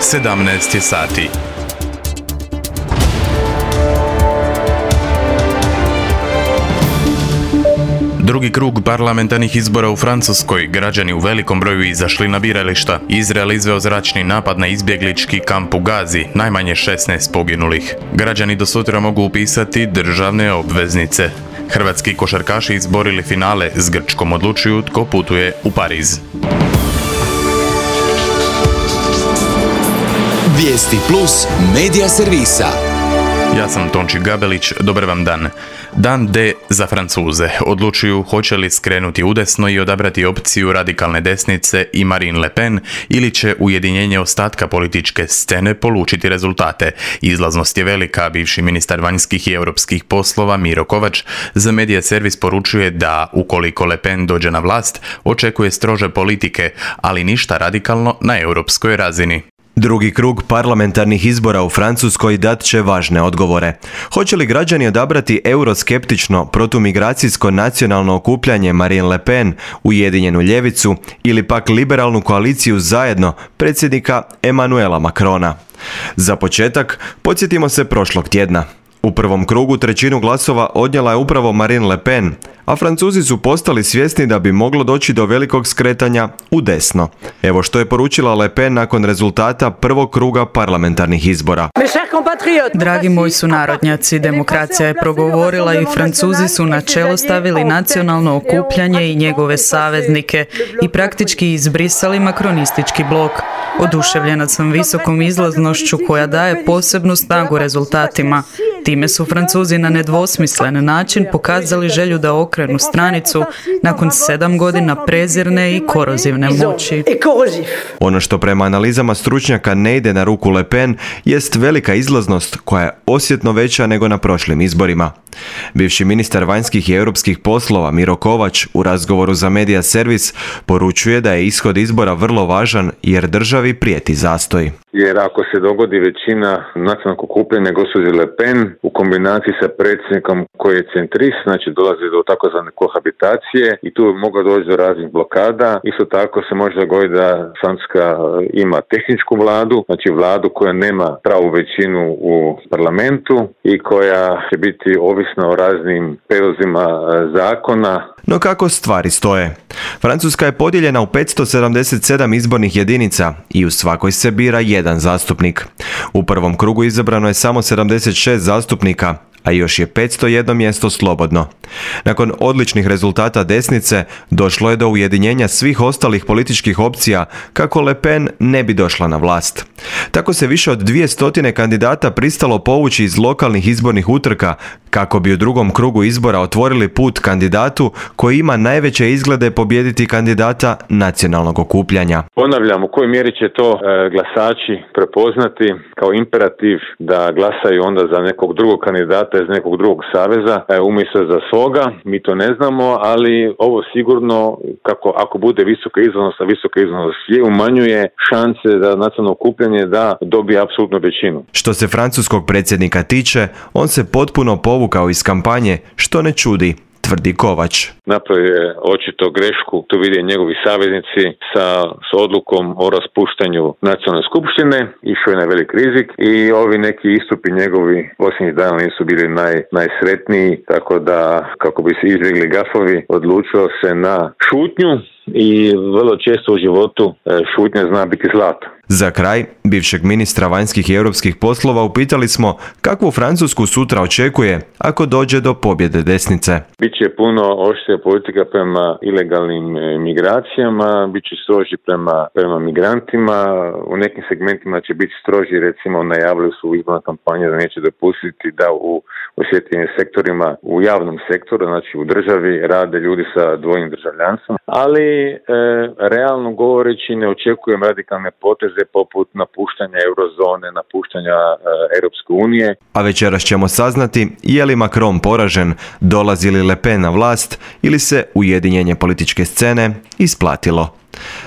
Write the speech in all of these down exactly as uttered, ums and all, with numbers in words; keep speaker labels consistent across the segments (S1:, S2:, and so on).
S1: sedamnaest je sati. Drugi krug parlamentarnih izbora u Francuskoj, građani u velikom broju izašli na birališta. Izrael izveo zračni napad na izbjeglički kamp u Gazi, najmanje šesnaest poginulih. Građani do sutra mogu upisati državne obveznice. Hrvatski košarkaši izborili finale, s Grčkom odlučuju tko putuje u Pariz.
S2: Vijesti plus medija servisa.
S1: Ja sam Tonči Gabelić, dobar vam dan. Dan D za Francuze. Odlučuju hoće li skrenuti udesno i odabrati opciju radikalne desnice i Marine Le Pen ili će ujedinjenje ostatka političke scene polučiti rezultate. Izlaznost je velika, bivši ministar vanjskih i europskih poslova Miro Kovač za Medija servis poručuje da ukoliko Le Pen dođe na vlast, očekuje strože politike, ali ništa radikalno na europskoj razini.
S3: Drugi krug parlamentarnih izbora u Francuskoj dat će važne odgovore. Hoće li građani odabrati euroskeptično protumigracijsko nacionalno okupljanje Marine Le Pen, Ujedinjenu ljevicu ili pak liberalnu koaliciju zajedno predsjednika Emmanuela Macrona? Za početak, podsjetimo se prošlog tjedna. U prvom krugu trećinu glasova odnijela je upravo Marine Le Pen, a Francuzi su postali svjesni da bi moglo doći do velikog skretanja u desno. Evo što je poručila Le Pen nakon rezultata prvog kruga parlamentarnih izbora.
S4: Dragi moji sunarodnjaci, demokracija je progovorila i Francuzi su na čelo stavili nacionalno okupljanje i njegove saveznike i praktički izbrisali makronistički blok. Oduševljena sam visokom izlaznošću koja daje posebnu snagu rezultatima. Time su Francuzi na nedvosmislen način pokazali želju da okrenu stranicu nakon sedam godina prezirne i korozivne moći.
S3: Ono što prema analizama stručnjaka ne ide na ruku Le Pen jest velika izlaznost koja je osjetno veća nego na prošlim izborima. Bivši ministar vanjskih i europskih poslova Miro Kovač u razgovoru za Medija servis poručuje da je ishod izbora vrlo važan jer državi prijeti zastoj.
S5: Jer ako se dogodi većina nacionalnog okupljanja gospođe Le Pen u kombinaciji sa predsjednikom koji je centrist, znači dolazi do takozvane kohabitacije i tu bi moglo doći do raznih blokada. Isto tako se može dogoditi da Francuska ima tehničku vladu, znači vladu koja nema pravu većinu u parlamentu i koja će biti ovisna o raznim prijedlozima zakona.
S3: No kako stvari stoje? Francuska je podijeljena u petsto sedamdeset sedam izbornih jedinica i u svakoj se bira jedan zastupnik. U prvom krugu izabrano je samo sedamdeset šest zastupnika, a još je petsto jedno mjesto slobodno. Nakon odličnih rezultata desnice, došlo je do ujedinjenja svih ostalih političkih opcija kako Le Pen ne bi došla na vlast. Tako se više od dvije stotine kandidata pristalo povući iz lokalnih izbornih utrka kako bi u drugom krugu izbora otvorili put kandidatu koji ima najveće izglede pobijediti kandidata nacionalnog okupljanja.
S5: Ponavljam, u kojoj mjeri će to e, glasači prepoznati kao imperativ da glasaju onda za nekog drugog kandidata iz nekog drugog saveza e, umjesto za svoga, mi to ne znamo, ali ovo sigurno, kako ako bude visoka izlaznost, a visoka izlaznost je, umanjuje šanse da nacionalno okupljanje da dobije apsolutnu većinu.
S3: Što se francuskog predsjednika tiče, on se potpuno povukao iz kampanje, što ne čudi, tvrdi Kovač.
S5: Napravio je očito grešku, tu vide njegovi saveznici sa, s odlukom o raspuštanju nacionalne skupštine, išao je na velik rizik i ovi neki istupi njegovi posljednjih dana nisu bili naj, najsretniji, tako da kako bi se izbjegli gafovi, odlučio se na šutnju i vrlo često u životu šutnja zna biti zlato.
S3: Za kraj, bivšeg ministra vanjskih i europskih poslova upitali smo kakvu Francusku sutra očekuje ako dođe do pobjede desnice.
S5: Biće puno oštrija politika prema ilegalnim migracijama, bit će stroži prema, prema migrantima, u nekim segmentima će biti stroži, recimo najavili su u izbornoj kampanji da neće dopustiti da u osjetljivim sektorima, u javnom sektoru, znači u državi, rade ljudi sa dvojnim državljanstvom, ali e, realno govoreći ne očekujem radikalne poteze poput napuštanja eurozone, napuštanja e, Europske unije.
S3: A večeras ćemo saznati je li Macron poražen, dolazi li Le Pen na vlast ili se ujedinjenje političke scene isplatilo.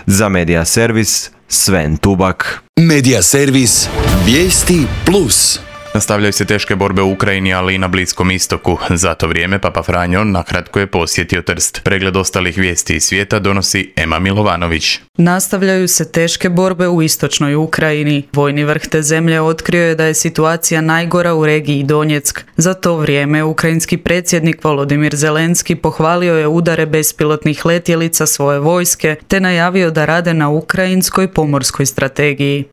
S3: Za Medija servis, Sven Tubak.
S2: Medija servis, vijesti plus.
S1: Nastavljaju se teške borbe u Ukrajini, ali i na Bliskom istoku. Za to vrijeme Papa Franjo nakratko je posjetio Trst. Pregled ostalih vijesti iz svijeta donosi Ema Milovanović.
S4: Nastavljaju se teške borbe u istočnoj Ukrajini. Vojni vrh te zemlje otkrio je da je situacija najgora u regiji Donjeck. Za to vrijeme ukrajinski predsjednik Volodimir Zelenski pohvalio je udare bespilotnih letjelica svoje vojske te najavio da rade na ukrajinskoj pomorskoj strategiji.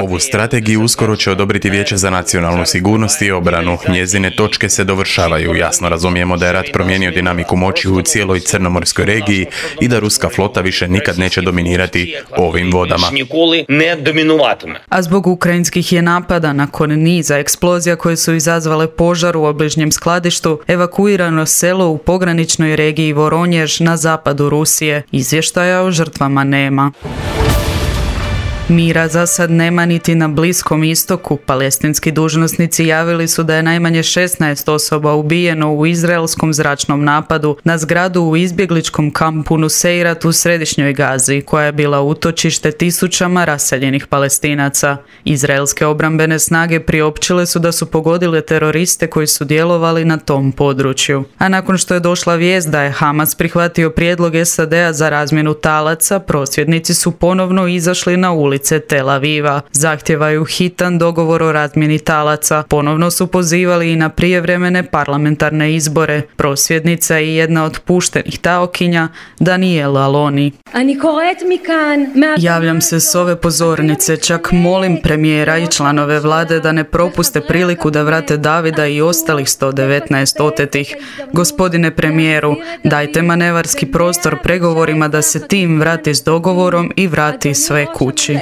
S1: Ovu strategiju uskoro će odobriti Vijeće za nacionalnu sigurnost i obranu. Njezine točke se dovršavaju. Jasno razumijemo da je rat promijenio dinamiku moći u cijeloj crnomorskoj regiji i da ruska flota više nikad neće dominirati ovim vodama.
S4: A zbog ukrajinskih je napada nakon niza eksplozija koje su izazvale požar u obližnjem skladištu, evakuirano selo u pograničnoj regiji Voronjež na zapadu Rusije. Izvještaja o žrtvama nema. Mira za sad nema niti na Bliskom istoku. Palestinski dužnosnici javili su da je najmanje šesnaest osoba ubijeno u izraelskom zračnom napadu na zgradu u izbjegličkom kampu Nuseirat u središnjoj Gazi, koja je bila utočište tisućama raseljenih Palestinaca. Izraelske obrambene snage priopćile su da su pogodile teroriste koji su djelovali na tom području. A nakon što je došla vijest da je Hamas prihvatio prijedlog S A D-a za razmjenu talaca, prosvjednici su ponovno izašli na ulicu Tel Aviva. Zahtijevaju hitan dogovor o razmjeni talaca. Ponovno su pozivali i na prijevremene parlamentarne izbore. Prosvjednica i jedna od puštenih taokinja, Daniela Aloni. Javljam se s ove pozornice, čak molim premijera i članove vlade da ne propuste priliku da vrate Davida i ostalih sto devetnaest otetih. Gospodine premijeru, dajte manevarski prostor pregovorima da se tim vrati s dogovorom i vrati sve kući.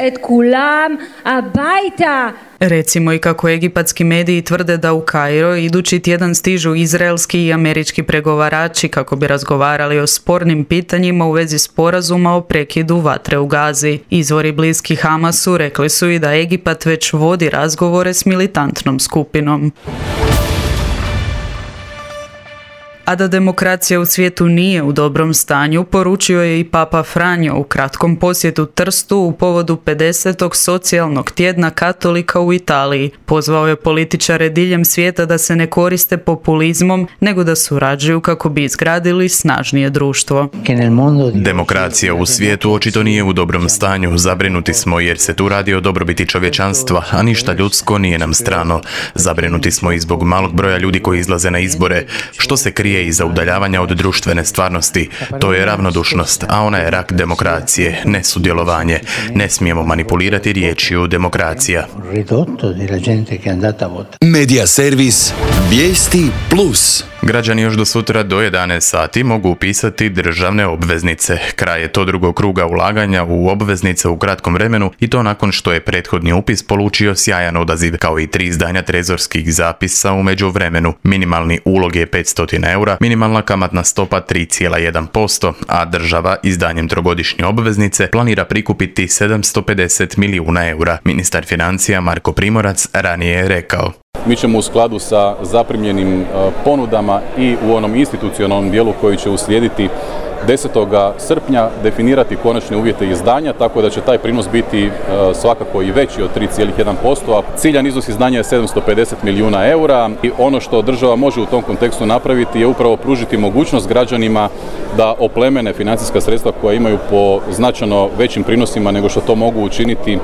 S4: Recimo i kako egipatski mediji tvrde da u Kairo idući tjedan stižu izraelski i američki pregovarači kako bi razgovarali o spornim pitanjima u vezi sporazuma o prekidu vatre u Gazi. Izvori bliski Hamasu rekli su i da Egipat već vodi razgovore s militantnom skupinom. A da demokracija u svijetu nije u dobrom stanju, poručio je i Papa Franjo u kratkom posjetu Trstu u povodu pedesetog socijalnog tjedna katolika u Italiji. Pozvao je političare diljem svijeta da se ne koriste populizmom, nego da surađuju kako bi izgradili snažnije društvo.
S1: Demokracija u svijetu očito nije u dobrom stanju. Zabrinuti smo jer se tu radi o dobrobiti čovječanstva, a ništa ljudsko nije nam strano. Zabrinuti smo i zbog malog broja ljudi koji izlaze na izbore. Što se krije iza udaljavanja od društvene stvarnosti? To je ravnodušnost, a ona je rak demokracije, ne sudjelovanje. Ne smijemo manipulirati riječju demokracija.
S2: Medija servis Vijesti plus.
S1: Građani još do sutra do jedanaest sati mogu upisati državne obveznice. Kraj je to drugog kruga ulaganja u obveznice u kratkom vremenu i to nakon što je prethodni upis polučio sjajan odaziv, kao i tri izdanja trezorskih zapisa u međuvremenu. Minimalni ulog je petsto eura, minimalna kamatna stopa tri zarez jedan posto, a država izdanjem trogodišnje obveznice planira prikupiti sedamsto pedeset milijuna eura. Ministar financija Marko Primorac ranije je rekao:
S6: Mi ćemo u skladu sa zaprimljenim ponudama i u onom institucionalnom dijelu koji će uslijediti desetog srpnja definirati konačne uvjete izdanja, tako da će taj prinos biti svakako i veći od tri zarez jedan posto, a ciljan iznos izdanja je sedamsto pedeset milijuna eura i ono što država može u tom kontekstu napraviti je upravo pružiti mogućnost građanima da oplemene financijska sredstva koja imaju po značajno većim prinosima nego što to mogu učiniti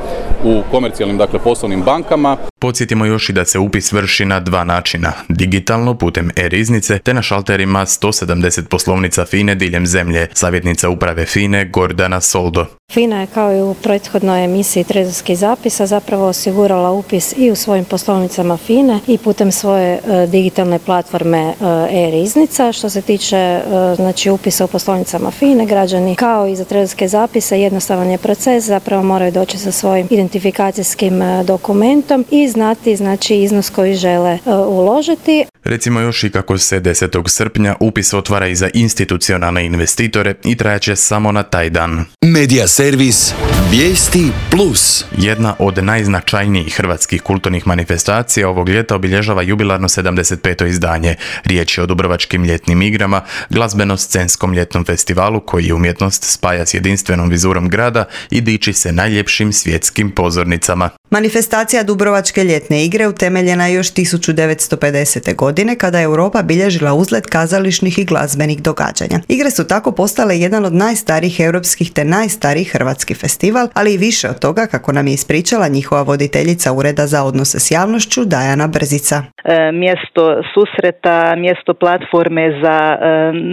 S6: u komercijalnim, dakle poslovnim bankama.
S1: Podsjetimo još i da se upis vrši na dva načina, digitalno putem e-riznice te na šalterima sto sedamdeset poslovnica FINE diljem zemlje. Savjetnica uprave FINE Gordana Soldo.
S7: FINA je kao i u prethodnoj emisiji trezorskih zapisa zapravo osigurala upis i u svojim poslovnicama FINE i putem svoje e, digitalne platforme e, e-riznica. Što se tiče e, znači upisa u poslovnicama FINE, građani kao i za trezorske zapise jednostavan je proces, zapravo moraju doći sa svojim identifikacijskim e, dokumentom i znati znači iznos koji žele e, uložiti.
S1: Recimo još i kako se desetog srpnja upis otvara i za institucionalne investitore i trajaće samo na taj dan.
S2: Medija servis Vijesti plus.
S1: Jedna od najznačajnijih hrvatskih kulturnih manifestacija ovog ljeta obilježava jubilarno sedamdeset peto izdanje. Riječ je o Dubrovačkim ljetnim igrama, glazbeno-scenskom ljetnom festivalu koji umjetnost spaja s jedinstvenom vizurom grada i diči se najljepšim svjetskim pozornicama.
S8: Manifestacija Dubrovačke ljetne igre utemeljena je još tisuću devetsto pedesete. godine kada je Europa bilježila uzlet kazališnih i glazbenih događanja. Igre su tako postale jedan od najstarijih europskih te najstarijih hrvatski festival, ali i više od toga, kako nam je ispričala njihova voditeljica Ureda za odnose s javnošću Dajana Brzica.
S9: E, mjesto susreta, mjesto platforme za e,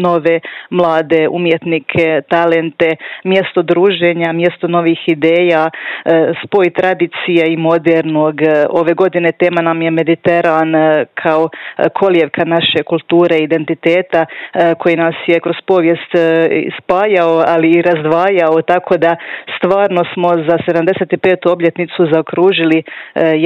S9: nove mlade umjetnike, talente, mjesto druženja, mjesto novih ideja, e, spoj tradicije i modernog. Ove godine tema nam je Mediteran kao kolijevka naše kulture i identiteta koji nas je kroz povijest spajao, ali i razdvajao, tako da stvarno smo za sedamdeset petu obljetnicu zaokružili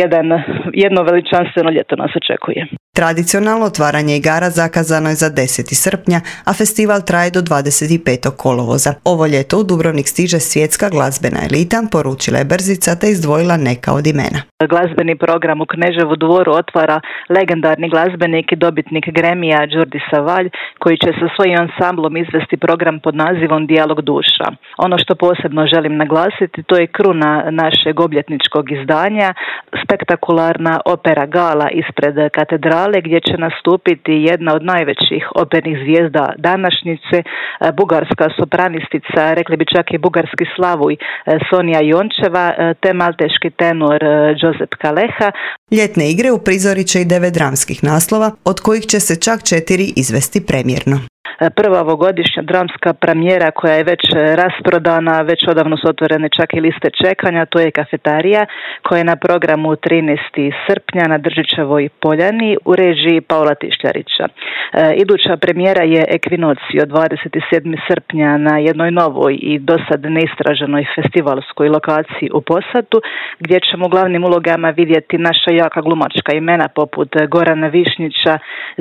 S9: jedan, jedno veličanstveno ljeto nas očekuje.
S8: Tradicionalno otvaranje igara zakazano je za deseti srpnja, a festival traje do dvadeset petog kolovoza. Ovo ljeto u Dubrovnik stiže svjetska glazbena elita, poručila je Brzica te izdvojila neka od imena.
S9: Glazbeni program u Kneževu dvoru otvara legendarni glazbenik i dobitnik Gremija Jordi Savall, koji će sa svojim ansamblom izvesti program pod nazivom Dijalog duša. Ono što posebno želim naglasiti, to je kruna našeg obljetničkog izdanja, spektakularna opera gala ispred katedrale, gdje će nastupiti jedna od najvećih opernih zvijezda današnjice, bugarska sopranistica, rekli bi čak i bugarski slavuj Sonja Jončeva, te malteški tenor Josep Kaleha.
S8: Ljetne igre uprizorit će i devet dramskih naslova, od kojih će se čak četiri izvesti premijerno.
S9: Prva ovogodišnja dramska premijera koja je već rasprodana, već odavno su otvorene čak i liste čekanja, to je Kafetarija koja je na programu trinaestog srpnja na Držićevoj poljani u režiji Paula Tišljarića. E, iduća premijera je Ekvinocio dvadeset sedmog srpnja na jednoj novoj i dosad neistraženoj festivalskoj lokaciji u Posatu, gdje ćemo u glavnim ulogama vidjeti naša jaka glumačka imena poput Gorana Višnjića,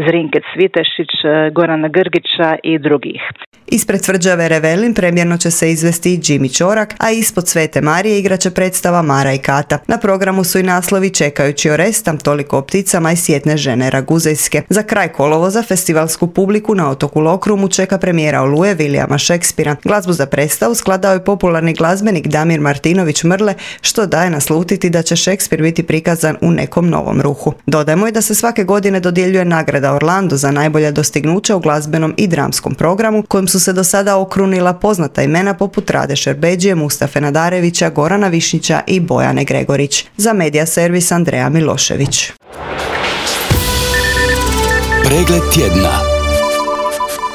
S9: Zrinke Cvitešić, Gorana Grgića i drugih.
S8: Ispred tvrđave Revelin premijerno će se izvesti i Jimmy Ćorak, a ispod Svete Marije igraće predstava Mara i Kata. Na programu su i naslovi Čekajući Orestam, Toliko o pticama i Sjetne žene Raguzejske. Za kraj kolovoza festivalsku publiku na otoku Lokrumu čeka premijera Oluje Williama Shakespearea. Glazbu za predstavu skladao je popularni glazbenik Damir Martinović Mrle, što daje naslutiti da će Shakespeare biti prikazan u nekom novom ruhu. Dodajmo i da se svake godine dodjeljuje nagrada Orlando za najbolja dostignuća u glazbenom i dramskom programu, kojim su se do sada okrunila poznata imena poput Rade Šerbeđije, Mustafe Nadarevića, Gorana Višnjića i Bojane Gregorić. Za Medija servis Andreja Milošević.
S2: Pregled tjedna.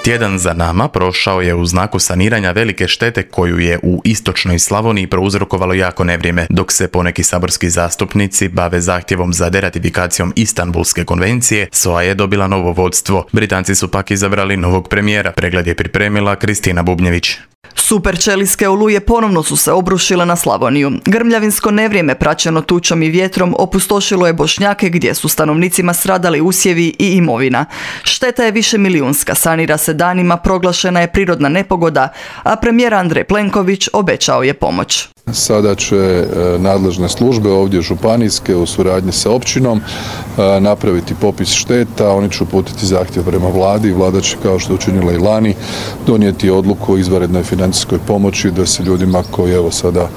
S1: Tjedan za nama prošao je u znaku saniranja velike štete koju je u istočnoj Slavoniji prouzrokovalo jako nevrijeme, dok se poneki saborski zastupnici bave zahtjevom za deratifikacijom Istanbulske konvencije. S O A je dobila novo vodstvo. Britanci su pak izabrali novog premijera. Pregled je pripremila Kristina Bubnjević.
S10: Superčelijske oluje ponovno su se obrušile na Slavoniju. Grmljavinsko nevrijeme praćeno tučom i vjetrom opustošilo je Bošnjake gdje su stanovnicima stradali usjevi i imovina. Šteta je višemilijunska, sanira se danima, proglašena je prirodna nepogoda, a premijer Andrej Plenković obećao je pomoć.
S11: Sada će nadležne službe ovdje županijske u suradnji sa općinom napraviti popis šteta, oni će uputiti zahtjev prema vladi, vlada će, kao što je učinila i lani, donijeti odluku o izvanrednoj financijskoj pomoći da se ljudima koji evo sada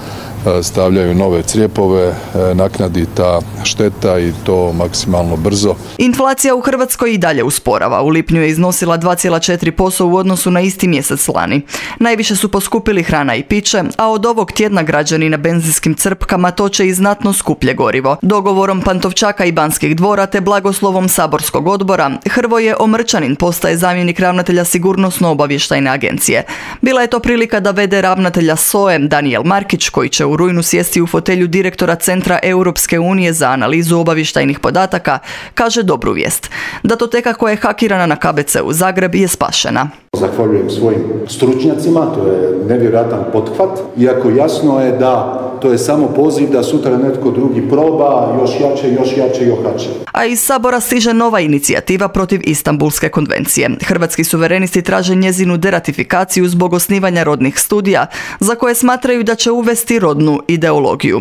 S11: stavljaju nove crijepove naknadi ta šteta i to maksimalno brzo.
S10: Inflacija u Hrvatskoj i dalje usporava. U lipnju je iznosila dva zarez četiri posto u odnosu na isti mjesec lani. Najviše su poskupili hrana i piće, a od ovog tjedna građani na benzinskim crpkama toče i znatno skuplje gorivo. Dogovorom Pantovčaka i Banskih dvora te blagoslovom saborskog odbora, Hrvoje Omrčanin postaje zamjenik ravnatelja Sigurnosno-obavještajne agencije. Bila je to prilika da vede ravnatelja S O E Danijel Markić, koji će u rujnu sjesti u fotelju direktora Centra Europske unije za analizu obavještajnih podataka, kaže dobru vijest. Datoteka koja je hakirana na K B C u Zagreb je spašena.
S12: Zahvaljujem svojim stručnjacima, to je nevjerojatan pothvat, iako jasno je da to je samo poziv da sutra netko drugi proba, još jače, još jače, još jače.
S10: A iz Sabora stiže nova inicijativa protiv Istanbulske konvencije. Hrvatski suverenisti traže njezinu deratifikaciju zbog osnivanja rodnih studija, za koje smatraju da će uvesti rodnu ideologiju.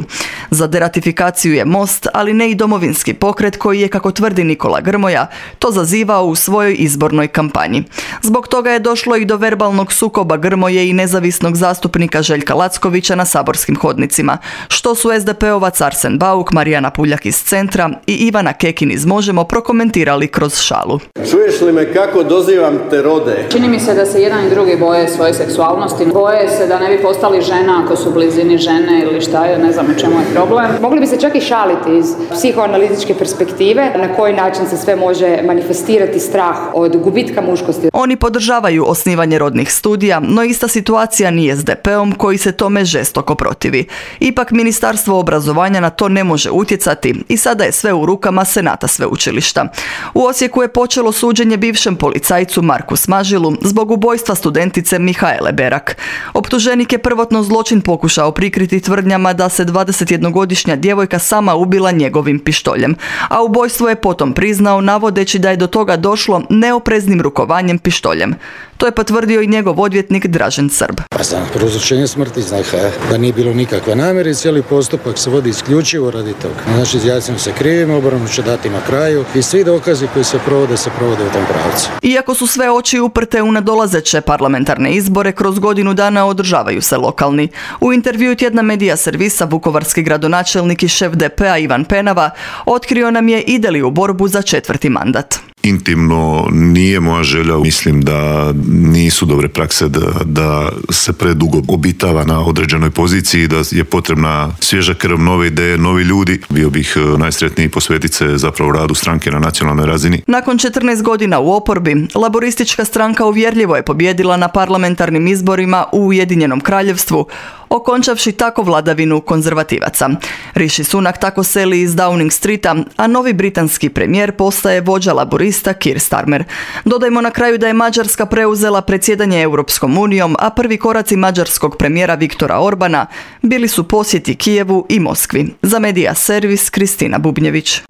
S10: Za deratifikaciju je Most, ali ne i Domovinski pokret koji je, kako tvrdi Nikola Grmoja, to zazivao u svojoj izbornoj kampanji. Zbog toga je došlo i do verbalnog sukoba Grmoje i nezavisnog zastupnika Željka Lackovića na saborskim hodnicima, što su es de pe-ovac Arsen Bauk, Marijana Puljak iz Centra i Ivana Kekin iz Možemo prokomentirali kroz šalu.
S13: Čuješ li me kako dozivam te rode?
S14: Čini mi se da se jedan i drugi boje svoje seksualnosti. Boje se da ne bi postali žena ako su u blizini žene ili šta je, ne znam u čemu je problem.
S15: Mogli bi se čak i šaliti iz psihoanalitičke perspektive na koji način se sve može manifestirati strah od gubitka muškosti.
S10: Oni podržavaju osnivanje rodnih studija, no ista situacija nije s de pe-om koji se tome žestoko protivi. Ipak Ministarstvo obrazovanja na to ne može utjecati i sada je sve u rukama Senata sveučilišta. U Osijeku je počelo suđenje bivšem policajcu Marku Smažilu zbog ubojstva studentice Mihaele Berak. Optuženik je prvotno zločin pokušao prikriti tvrdnjama da se dvadesetjednogodišnja djevojka sama ubila njegovim pištoljem, a ubojstvo je potom priznao navodeći da je do toga došlo neopreznim rukovanjem pištoljem. To je potvrdio i njegov odvjetnik Dražen Srb.
S16: Pa za prouzročenje smrti znači da nije bilo nikakve namjere, cijeli postupak se vodi isključivo radi toga. Znači izjasnimo se krivim, obranu će dati na kraju i svi dokazi koji se provode se provode u tom pravcu.
S10: Iako su sve oči uprte u nadolazeće parlamentarne izbore, kroz godinu dana održavaju se lokalni. U intervjuu tjedna Medija servisa vukovarski gradonačelnik i šef de pe-a Ivan Penava otkrio nam je ide li u borbu za četvrti mandat.
S17: Intimno nije moja želja, mislim da nisu dobre prakse da, da se predugo obitava na određenoj poziciji, da je potrebna svježa krv, nove ideje, novi ljudi. Bio bih najsretniji posvetiti se zapravo radu stranke na nacionalnoj razini.
S10: Nakon četrnaest godina u oporbi, laboristička stranka uvjerljivo je pobijedila na parlamentarnim izborima u Ujedinjenom Kraljevstvu, okončavši tako vladavinu konzervativaca. Rishi Sunak tako seli iz Downing Streeta, a novi britanski premijer postaje vođa laborista Keir Starmer. Dodajmo na kraju da je Mađarska preuzela predsjedanje Europskom unijom, a prvi koraci mađarskog premijera Viktora Orbana bili su posjeti Kijevu i Moskvi. Za Medija servis Kristina Bubnjević.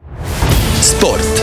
S2: Sport.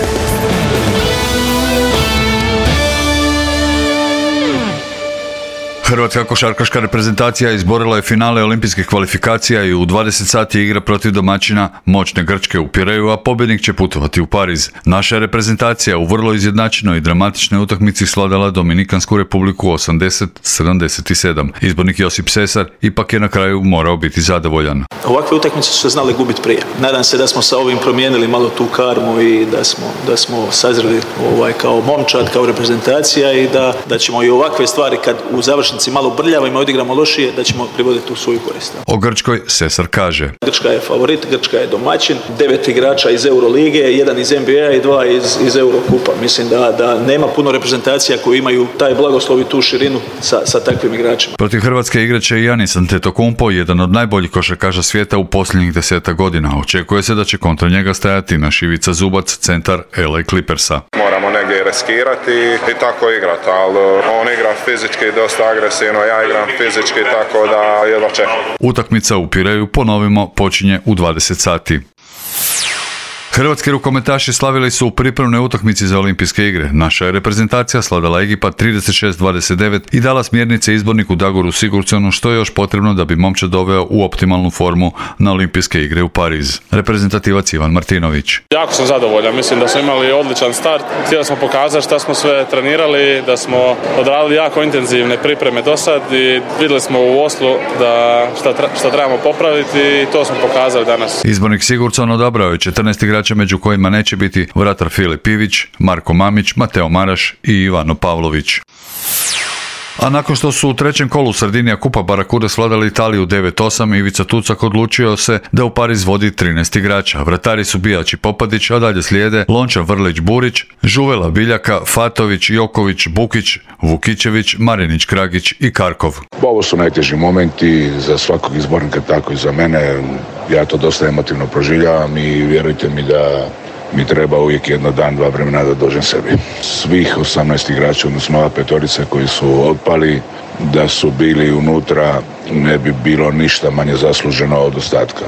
S18: Hrvatska košarkaška reprezentacija izborila je finale olimpijskih kvalifikacija i u dvadeset sati igra protiv domaćina moćne Grčke u Pireju, a pobjednik će putovati u Pariz. Naša reprezentacija u vrlo izjednačenoj i dramatičnoj utakmici svladala Dominikansku republiku osamdeset sedamdeset sedam. Izbornik Josip Sesar ipak je na kraju morao biti zadovoljan.
S19: Ovakve utakmice su se znali gubiti prije. Nadam se da smo sa ovim promijenili malo tu karmu i da smo, da smo sazreli ovaj, kao momčad, kao reprezentacija i da, da ćemo i ovakve stvari kad u završnici malo brljavimo i odigramo lošije, da ćemo privoditi u svoju korist.
S18: O Grčkoj Sesar kaže:
S19: Grčka je favorit, Grčka je domaćin, devet igrača iz Eurolige, jedan iz en be a i dva iz, iz Eurokupa. Mislim da, da nema puno reprezentacija koji imaju taj blagoslov i tu širinu sa, sa takvim igračima.
S18: Protiv Hrvatske igraće i Giannis Antetokounmpo, jedan od najboljih košarkaša svijeta u posljednjih deseta godina. Očekuje se da će kontra njega stajati naš Ivica Zubac, centar el ej Clippersa.
S20: Moramo negdje riskirati i tako igrati, ali on igra fizički dosta agresivno, ja igram fizički, tako da jedva čekam.
S18: Utakmica u Pireju, ponovimo, počinje u dvadeset sati. Hrvatski rukometaši slavili su u pripremnoj utakmici za olimpijske igre. Naša je reprezentacija sladala Egipat trideset šest dvadeset devet i dala smjernice izborniku Dagoru Sigurdsonu što je još potrebno da bi momčad doveo u optimalnu formu na olimpijske igre u Pariz. Reprezentativac Ivan Martinović.
S21: Jako sam zadovoljan, mislim da smo imali odličan start. Htjeli smo pokazati šta smo sve trenirali, da smo odradili jako intenzivne pripreme do sad i vidjeli smo u Oslu da šta, šta trebamo popraviti i to smo pokazali danas.
S18: Izbornik Sigurdson odabrao je četrnaest igrača među kojima neće biti vratar Filip Ivić, Marko Mamić, Mateo Maraš i Ivano Pavlović. A nakon što su u trećem kolu Sardinija Kupa Barakuda svladali Italiju devet osam, Ivica Tucak odlučio se da u Pariz vodi trinaest igrača. Vratari su Bijač i Popadić, a dalje slijede Lončar Vrlić Burić, Žuvela Biljaka, Fatović, Joković, Bukić, Vukićević, Marinić Kragić i Karkov.
S22: Ovo su najteži momenti za svakog izbornika, tako i za mene. Ja to dosta emotivno proživljavam i vjerujte mi da mi treba uvijek jedno dan, dva vremena da dođem sebi. Svih osamnaest igrača, odnosno ova petorica koji su otpali, da su bili unutra, ne bi bilo ništa manje zasluženo od ostatka.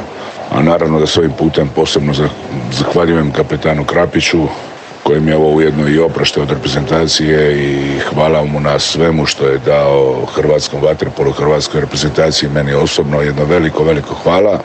S22: A naravno da s ovim putem posebno zahvaljujem kapetanu Krapiću, kojim je ovo ujedno i oprošte od reprezentacije i hvala mu na svemu što je dao hrvatskom vaterpolu, hrvatskoj reprezentaciji, meni osobno jedno veliko, veliko hvala.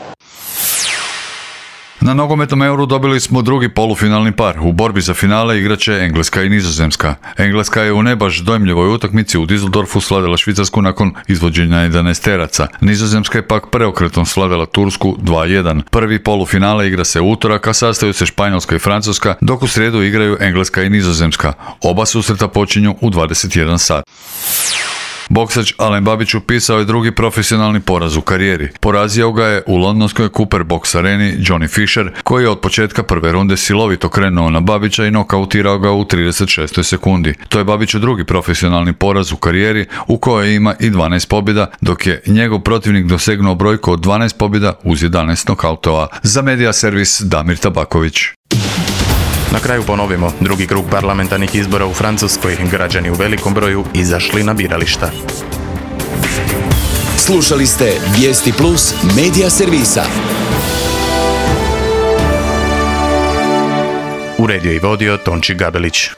S18: Na nogometnom Euru dobili smo drugi polufinalni par. U borbi za finale igraće Engleska i Nizozemska. Engleska je u ne baš dojmljivoj utakmici u Düsseldorfu slavila Švicarsku nakon izvođenja jedanaesteraca. Nizozemska je pak preokretom slavila Tursku dva jedan. Prvi polufinale igra se u utorak, a sastaju se Španjolska i Francuska, dok u srijedu igraju Engleska i Nizozemska. Oba susreta počinju u dvadeset jedan sat. Boksač Alen Babić upisao je drugi profesionalni poraz u karijeri. Porazio ga je u londonskoj Cooper Box areni Johnny Fisher, koji je od početka prve runde silovito krenuo na Babića i nokautirao ga u trideset šestoj sekundi. To je Babiću drugi profesionalni poraz u karijeri, u kojoj ima i dvanaest pobjeda, dok je njegov protivnik dosegnuo brojku od dvanaest pobjeda uz jedanaest nokautova. Za Medija servis Damir Tabaković.
S1: Na kraju ponovimo, drugi krug parlamentarnih izbora u Francuskoj, građani u velikom broju izašli na birališta.
S2: Slušali ste Vijesti Plus Medija servisa.
S1: Uredio i vodio Tonči Gabelić.